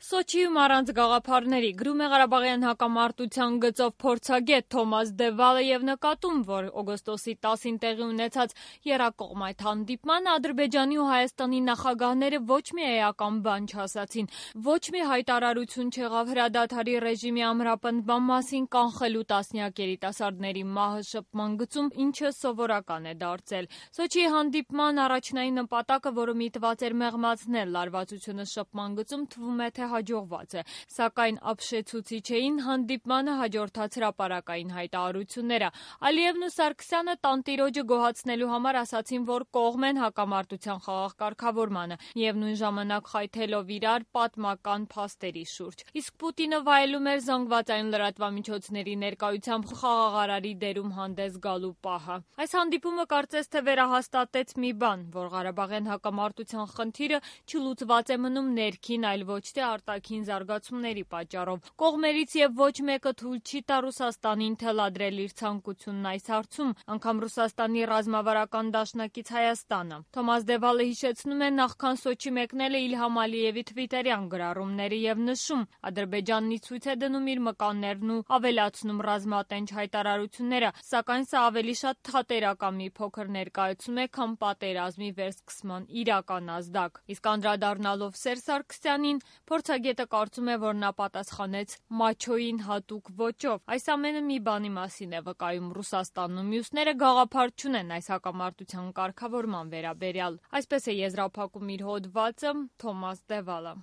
Սոչիում առանց գաղափարների գրում է Ղարաբաղյան հակամարտության գծով փորձագետ Թոմաս Դևալը եւ նկատում, որ օգոստոսի 10-ին տեղի ունեցած եռակողմայթ հանդիպմանը Ադրբեջանի ու Հայաստանի նախագահները ոչ մի էական բան չասացին, ոչ մի հայտարարություն չեղավ հրադադարի ռեժիմի ամրապնդման մասին, կանխելու տասնյակ երիտասարդների մահը շփման գծում, ինչը սովորական է դարձել։ Սոչիի հանդիպման առաջնային նպատակը, որը միտված էր մեղմացնել լարվածությունը շփման գծում, թվում է թե հաջողված է, սակայն ապշեցուցիչ էին հանդիպմանը հաջորդած հրապարակային հայտարարությունները։ Ալիևն ու Սարգսյանը տանտիրոջը գոհացնելու համար ասացին, որ կողմ են հակամարտության խաղաղ կարգավորմանը եւ նույն ժամանակ խայթելով իրար պատմական փաստերի շուրջ։ Իսկ Պուտինը վայելում էր զանգվածային լրատվամիջոցների ներկայությամբ խաղաղարարի դերում հանդես գալու պահը։ Այս հանդիպումը կարծես թե վերահաստատեց մի բան, որ Ղարաբաղյան հակամարտության խնդիրը չլուծված է մնում ներքին, այլ ոչ թե արտաքին զարգացումների պատճառով։ Կողմերից եւ ոչ մեկը թույլ չի տա Ռուսաստանին թելադրել իր ցանկությունն այս հարցում, անգամ Ռուսաստանի ռազմավարական դաշնակից Հայաստանը։ Թոմաս Դևալը հիշեցնում է նախքան Սոչի մեկնելը Իլհամ Ալիևի թվիտերյան գրառումները եւ նշում. Ադրբեջանն ի ցույց է դնում իր մկաններն ու ավելացնում ռազմատենչ հայտարարությունները, սակայն սա ավելի շատ թատերական մի փոքր ներկայացում է, քան պատերազմի վերսկսման իրական ազդակ։ Իսկ անդրադառնալով Սերժ Սարգսյանին, փորձագետը կարծում է, որ նա պատասխանեց մաչոյին հատուկ ոճով։ Այս ամենը մի բանի մասին է վկայում. Ռուսաստանն ու մյուսները գաղափար չունեն այս հակամարտության կարգավորման վերաբերյալ։ Այսպես է եզրափակում իր հոդվածը Թոմաս Դևալը։